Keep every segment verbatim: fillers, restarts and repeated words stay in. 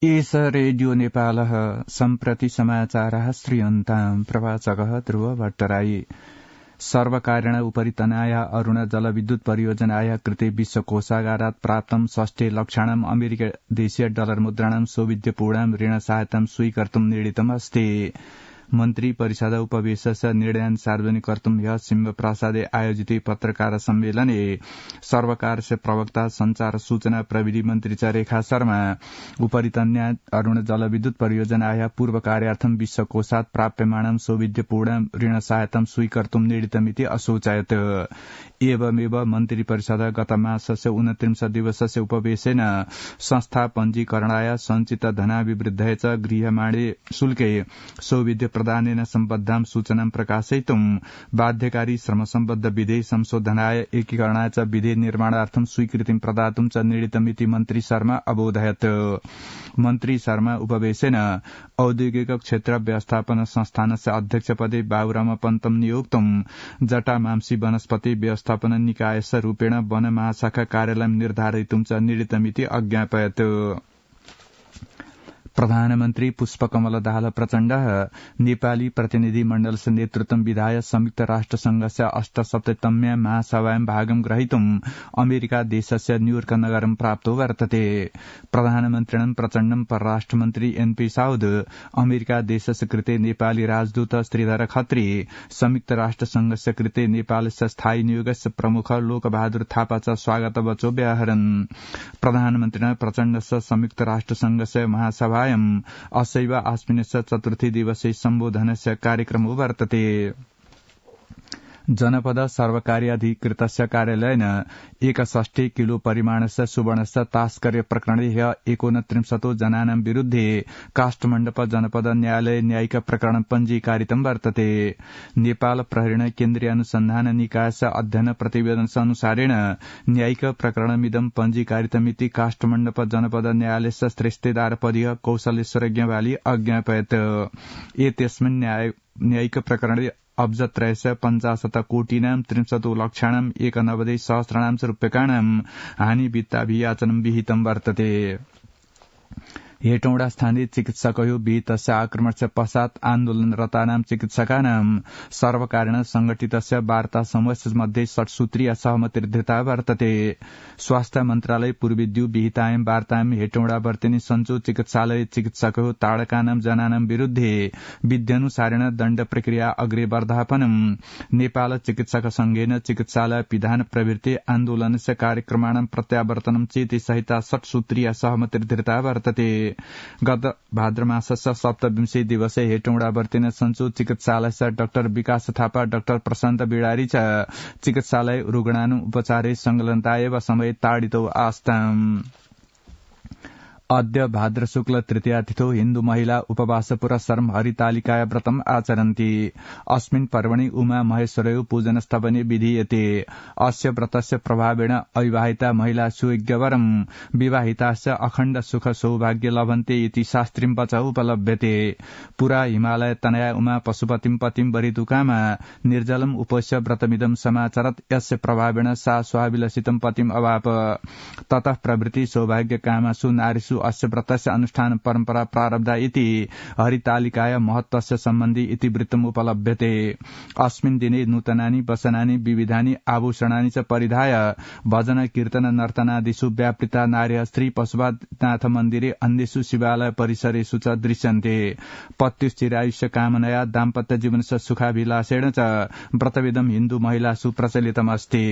एष रेडियो नेपालः सम्प्रति समाचारः श्रूयन्ताम् प्रवाचकः ध्रुव भट्टराई सर्वकारेण उपरितनाय अरुण जलविद्युत परियोजनाय कृते विश्वकोषागारात् प्राप्तं षष्ठे लक्षाणाम् अमेरिकादेशीय डलर मुद्राणां सौविध्यपूर्णां ऋण सहायतां स्वीकर्तुं निर्णीतम् अस्ति मन्त्री परिषद उपवेशस्य निर्णयान् सार्वजनिक कर्तुं ह्यः सिंहप्रसादे आयोजिते पत्रकार सम्मेलने सर्वकारस्य प्रवक्ता संचार सूचना प्रविधि मन्त्री च रेखा शर्मा उपरितन्या अरुण जलविद्युत परियोजनाया पूर्व कार्यार्थं विश्वकोषात् प्राप्यमाणं सौविध्यपूर्णां ऋण सहायतां स्वीकर्तुं निर्णीतमिति असोचयत् एवमेव मन्त्री परिषद गत मासस्य ऊनत्रिंश दिवसस्य उपवेशेन संस्था पञ्जीकरणाय संचित धनाभिवृद्धये च गृह्यमाणे शुल्के सौविध्य प्रदानेन सम्बद्धां सूचनां प्रकाशयितुं बाध्यकारी श्रमसम्बद्ध विधेय संशोधनाय एकीकरणाय च विधेय निर्माणार्थं स्वीकृतिं प्रदातुं च निर्णीतमिति मन्त्री शर्मा अबोधयत् मन्त्री शर्मा उपवेशेन औद्योगिक क्षेत्र व्यवस्थापन संस्थानस्य अध्यक्षपदे बाबुराम पन्तम नियोक्तुं जटामांसी वनस्पति व्यवस्थापन निकायस्य रूपेण वन महाशाखा कार्यालय निर्धारयितुं च निर्णीतमिति अज्ञापयत् प्रधानमन्त्री पुष्पकमल दाहाल प्रचण्डः नेपाली प्रतिनिधि मण्डलस्य नेतृत्वं विधाय संयुक्त राष्ट्रसंघस्य अष्टसप्ततम्या महासभायां भागं ग्रहीतुं अमेरिका देशस्य न्यूयर्क नगरं प्राप्तो वर्तते प्रधानमन्त्रिणं प्रचण्डं परराष्ट्रमन्त्री एनपी साउद अमेरिका देशस्य कृते नेपाली राजदूत श्रीधर खत्री संयुक्त राष्ट्रसंघस्य कृते नेपालस्य स्थायी नियोगस्य प्रमुख लोकबहादुर थापा च स्वागत वचो व्याहरन् प्रधानमन्त्रिणा प्रचण्डस्य संयुक्त राष्ट्रसंघस्य महासभा असैव आस्मिनस्य चतुर्थी दिवसे सम्बोधनस्य कार्यक्रमो वर्तते जनपद सर्वकार्याधिकृतस्य कार्यालयेन एकषष्टि किलो परिमाणस्य सुवर्णस्य तास्कर्य प्रकरणे ह्य एकोनत्रिंशतो जनानां विरुद्धे काष्ठमण्डप जनपद न्यायालय न्यायिक प्रकरण पञ्जीकारितं वर्तते नेपाल प्रहरीण केन्द्रीय अनुसन्धान निकायस्य अध्ययन प्रतिवेदननुसारेण न्यायिक प्रकरणमिदं पञ्जीकारितमिति काष्ठमण्डप जनपद न्यायालयस्य श्रेष्ठदारपदीय कौशलेश्वर ज्ञवाली अज्ञापयत् एतस्मिन् न्यायिक प्रकरणे अब्जत्रयस्य पञ्चाशत कोटिनां त्रिंशतो लक्षाणाम् एकनवति सहस्राणां च रूप्यकाणां हानि वित्ताभियाचनं विहितं वर्तते हेटौडा स्थानीय चिकित्सकयो विहितस्य आक्रमणस्य पश्चात् आन्दोलनरतानां चिकित्सकानां सर्वकारेण संघटितस्य वार्ता समूहस्य मध्ये षट्सूत्रीय सहमतिर्धृता वर्तते स्वास्थ्य मन्त्रालय पूर्वेद्यु विहितायां वार्तायां हेटौडा वर्तिनी सञ्चो चिकित्सालय चिकित्सकयो ताडकानां जनानां विरुद्धे विध्यनुसारेण दण्ड प्रक्रिया अग्रे वर्धापनं नेपाल चिकित्सक संघेन चिकित्सालय विधान प्रभृति आन्दोलनस्य कार्यक्रमाणां प्रत्यावर्तनं चेति सहिता षट्सूत्रीय सहमतिर्धृता वर्तते गत भाद्रमासस्य सप्तविंशे दिवसे हेटौडा वर्तिन सञ्चो चिकित्सालयस्य डाक्टर विकास थापा डाक्टर प्रशान्त बिडारी च चिकित्सालय रुग्णानु उपचारे संलग्नताएव समय ताडितो आस्ताम् अद्य भाद्र शुक्ल तृतीयातिथौ हिन्दू महिला उपवास पुरस्सरं हरितालिकाया व्रतम् आचरन्ति अस्मिन् पर्वणि उमा महेश्वरयो पूजनस्तवने विधीयते अस्य व्रतस्य प्रभावेण अविवाहिता महिला सुयज्ञवरम् विवाहिताश्च अखण्ड सुख सौभाग्य लभन्ते इति शास्त्रीं वच उपलभ्यते पुरा हिमालय तनया उमा पशुपतिं पतिं वरितुकामा निर्जलम् उपस्य व्रतमिदं समाचरत् यस्य प्रभावेण सा स्वाभिलषितं पतिम् अवाप ततः प्रभृति सौभाग्य कामासु नारीषु अस्य व्रतस्य अनुष्ठान परम्परा प्रारब्धा इति हरितालिकाया महत्वस्य सम्बन्धी इतिवृत्तम् उपलभ्यते अस्मिन् दिने नूतनानि वसनानि विविधानि आभूषणानि च परिधाय भजन कीर्तन नर्तनादिषु व्यापृता नार्यः श्री पशुपतिनाथ मन्दिरे अन्येषु शिवालय परिसरेषु च दृश्यन्ते पत्युश्चिरायुष्य कामनया दाम्पत्य जीवनस्य सुखाभिलाषेण च व्रतविदं हिन्दू महिलासु प्रचलितमस्ति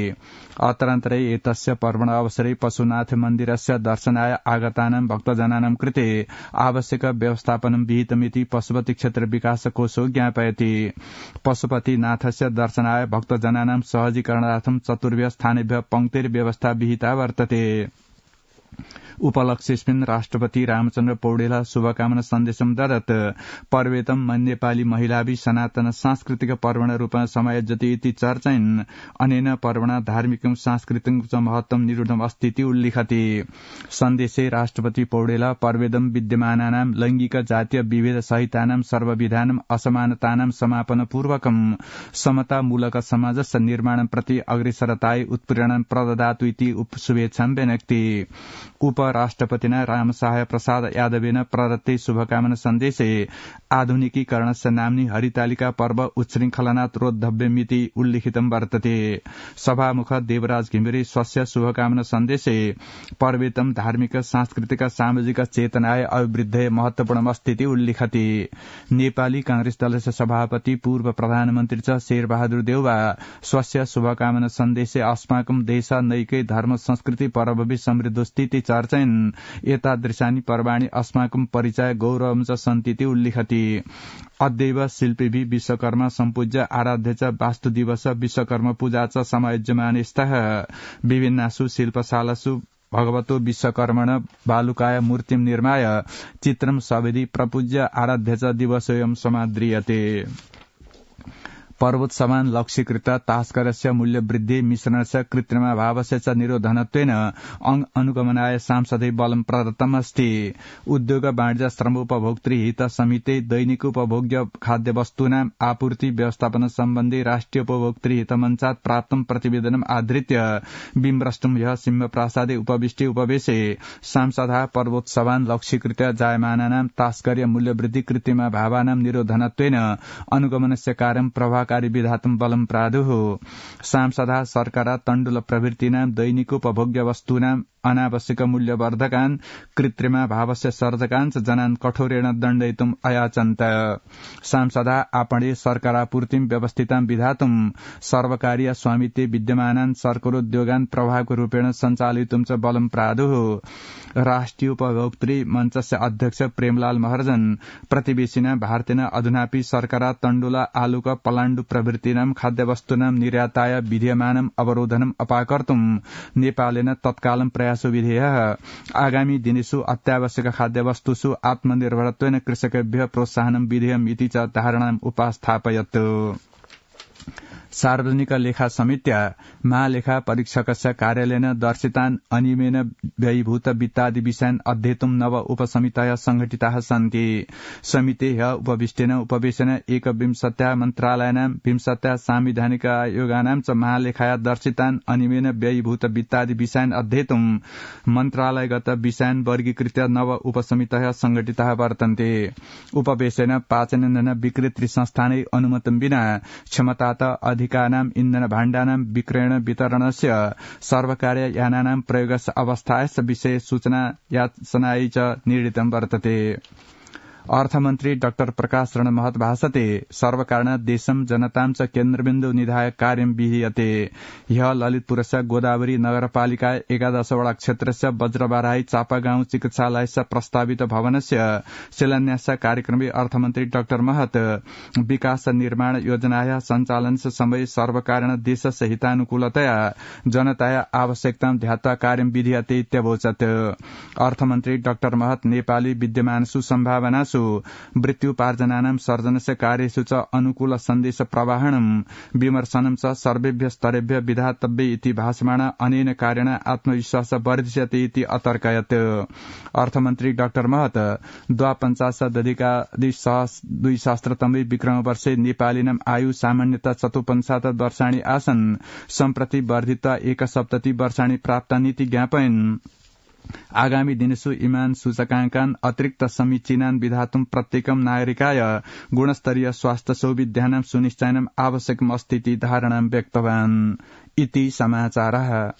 अतरन्तरे एतस्य पर्वण अवसरे पशुनाथ मन्दिरस्य दर्शनाय आगतानां भक्तजनानां कृते आवश्यक व्यवस्थापनं विहितमिति पशुपति क्षेत्र विकास कोशो ज्ञापयति पशुपतिनाथस्य दर्शनाय भक्तजनानां सहजीकरणार्थं चतुर्भ्यः स्थानेभ्यः पङ्क्तिर्व्यवस्था विहिता वर्तते उपलक्ष्येऽस्मिन् राष्ट्रपति रामचन्द्र पौडेलः शुभकामना सन्देशं ददत् पर्वेतं नेपाली महिलाभिः सनातन सांस्कृतिक पर्वण रूपेण समायोज्यते इति चर्चयन् अनेन पर्वणा धार्मिकं सांस्कृतिकं च महत्त्वं निरूढम् अस्ति इति उल्लिखति सन्देशे राष्ट्रपति पौडेलः पर्वेदं विद्यमानानां लैङ्गिक जातीय विभेद सहितानां सर्वविधानां असमानतानां समापनपूर्वकं समतामूलक समाजस्य निर्माणं प्रति अग्रेसरतायै उत्प्रेरणां प्रददातु इति शुभेच्छां व्यनक्ति उप उपराष्ट्रपतिना रामसहाय प्रसाद यादवेन प्रदत्ते शुभकामना सन्देशे आधुनिकीकरणस्य नाम्नि हरितालिका पर्व उच्छृङ्खलनात् रोद्धव्यमिति उल्लिखितं वर्तते। सभामुख देवराज घिमिरे स्वस्य शुभकामना सन्देशे पर्वेतम धार्मिक सांस्कृतिक सामाजिक चेतनाय अभिवृद्धये महत्वपूर्णमस्तीति उल्लिखति। नेपाली कांग्रेस दलस्य सभापति पूर्व प्रधानमन्त्री च शेरबहादुर देउवा स्वस्य शुभकामना सन्देशे अस्माकं देश नैकै धर्म संस्कृति परभवि समृद्धोस्थिति चर्चयन् एतादृशानि पर्वाणि अस्माकं परिचय गौरवं च सन्तीति उल्लिखति। अद्यैव शिल्पिभि विश्वकर्मा सम्पूज्य आराध्य च वास्तु दिवस विश्वकर्मा पूजा च समायोज्यमाने स्तः विभिन्नासु शिल्पशालासु भगवतो विश्वकर्मण बालुकाय मूर्तिं निर्माय चित्रं सवेदि प्रपूज्य आराध्य च दिवसोऽयं समाद्रियते। पर्वोत्सवान् लक्ष्यीकृत तास्करस्य मूल्यवृद्धि मिश्रणस्य कृत्रिमाभावस्य च निरोधनत्वेन अनुगमनाय सांसदै बलं प्रदत्तमस्ति। उद्योग वाणिज्य श्रमोपभोक्तृ हित समिति दैनिक उपभोग्य खाद्यवस्तूनाम् आपूर्ति व्यवस्थापन सम्बन्धी राष्ट्रिय उपभोक्तृ हित मञ्चात् प्राप्तं प्रतिवेदनम् आधृत्य बिम्रष्टुम् ह्यः सिंहप्रासादे उपविष्टे उपवेशे सांसदः पर्वोत्सवान् लक्ष्यीकृत जायमानानां तास्कर्य मूल्यवृद्धि कृत्रिमाभावानां निरोधनत्वेन अनुगमनस्य कार्यं प्रभाव कारी विधातुं बलं प्रादुः। सांसदः सरकार तण्डुल प्रभृतीनां दैनिक उपभोग्य वस्तूनां अनावश्यक मूल्यवर्धकान् कृत्रिमाभावस्य सर्जकान् च जनान् कठोरेण दण्डयितुम् अयाचन्त। सांसदः आपणे सर्कारापूर्तिं व्यवस्थितां विधातुं सर्वकारीय स्वामित्वे विद्यमानान् सर्कारोद्योगान् प्रभावक रूपेण सञ्चालयितुं च बलं प्रादुः। राष्ट्रिय उपभोक्तृ मञ्चस्य अध्यक्ष प्रेमलाल महर्जन प्रतिवेशिना भारतेन अधुनापि सर्कारा तण्डुल आलुक पलाण्डु प्रभृतीनां खाद्यवस्तूनां निर्याताय विधीयमानम् अवरोधनम् अपाकर्तुं नेपालेन तत्कालं प्रयासो विधेयः। आगामी दिनेषु अत्यावश्यक खाद्यवस्तुषु आत्मनिर्भरत्वेन कृषकेभ्यः प्रोत्साहनं विधेयम् इति च धारणाम् उपास्थापयत्। सार्वजनिक लेखा समित्या महालेखा परीक्षकस्य कार्यालयेन दर्शितान् अनियमेन व्ययीभूत वित्तादि विषयान् अध्येतुं नव उपसमितयः संघटिताः सन्ति। समितेः उपविष्टेन उपवेशेन एकविंशत्याः मन्त्रालयानां विंशत्याः सांविधानिक आयोगानां च महालेखाया दर्शितान् अनियमेन व्ययीभूत वित्तादि विषयान् अध्येतुं मन्त्रालयगत विषयान् वर्गीकृत्य नव उपसमितयः संघटिताः वर्तन्ते। उपवेशेन पाचनेन विक्रेतृ संस्थानै अनुमतं विना क्षमतात अधिकानाम् इन्धन भाण्डानां विक्रयण वितरणस्य सर्वकार्य यानानां प्रयोगस्य अवस्थायस्य विषये सूचना याचनायै च निर्णीतं वर्तते। अर्थमन्त्री डाक्टर प्रकाश रण महत भाषते सर्वकारण देशं जनतां च केन्द्रबिन्दु निधाय कार्यं विधीयते। ह्यः ललितपुरस्य गोदावरी नगरपालिका एकादशवटा क्षेत्रस्य वज्रबाराई चापागाउँ चिकित्सालयस्य प्रस्तावित भवनस्य शिलान्यास कार्यक्रमे अर्थमन्त्री डाक्टर महत विकास निर्माण योजनायाः सञ्चालनस्य समये सर्वकारण देशस्य हितानुकूलतया जनताया आवश्यकतां ध्यात्वा कार्यं विधीयते इत्यवोचत्। अर्थमन्त्री डाक्टर महत नेपाली विद्यमानसु सम्भावनासु वृत्त्युपार्जनानां सर्जनस्य कार्येषु च अनुकूल सन्देश प्रवाहणं विमर्शनं च सर्वेभ्यः स्तरेभ्यः विधातव्य इति भाषमाण अनेन कार्येण आत्मविश्वास वर्धिष्यति इति अतर्कयत्। अर्थमन्त्री डाक्टर महत द्वापञ्चाशदधिकाद्विसहस्रतमे विक्रमवर्षे नेपालीनाम् आयु सामान्यतः चतुपञ्चाशत् वर्षाणि आसन् सम्प्रति वर्धित्वा एकसप्तति वर्षाणि प्राप्तानीति ज्ञापयन्। आगामी दिनेषु इमान् सूचकाङ्कान् अतिरिक्त समीचीनान् विधातुं प्रत्येकं नागरिकाय गुणस्तरीय स्वास्थ्य सौविध्यानां सुनिश्चयनम् आवश्यकम् अस्ति इति धारणां व्यक्तवान्। इति समाचारः।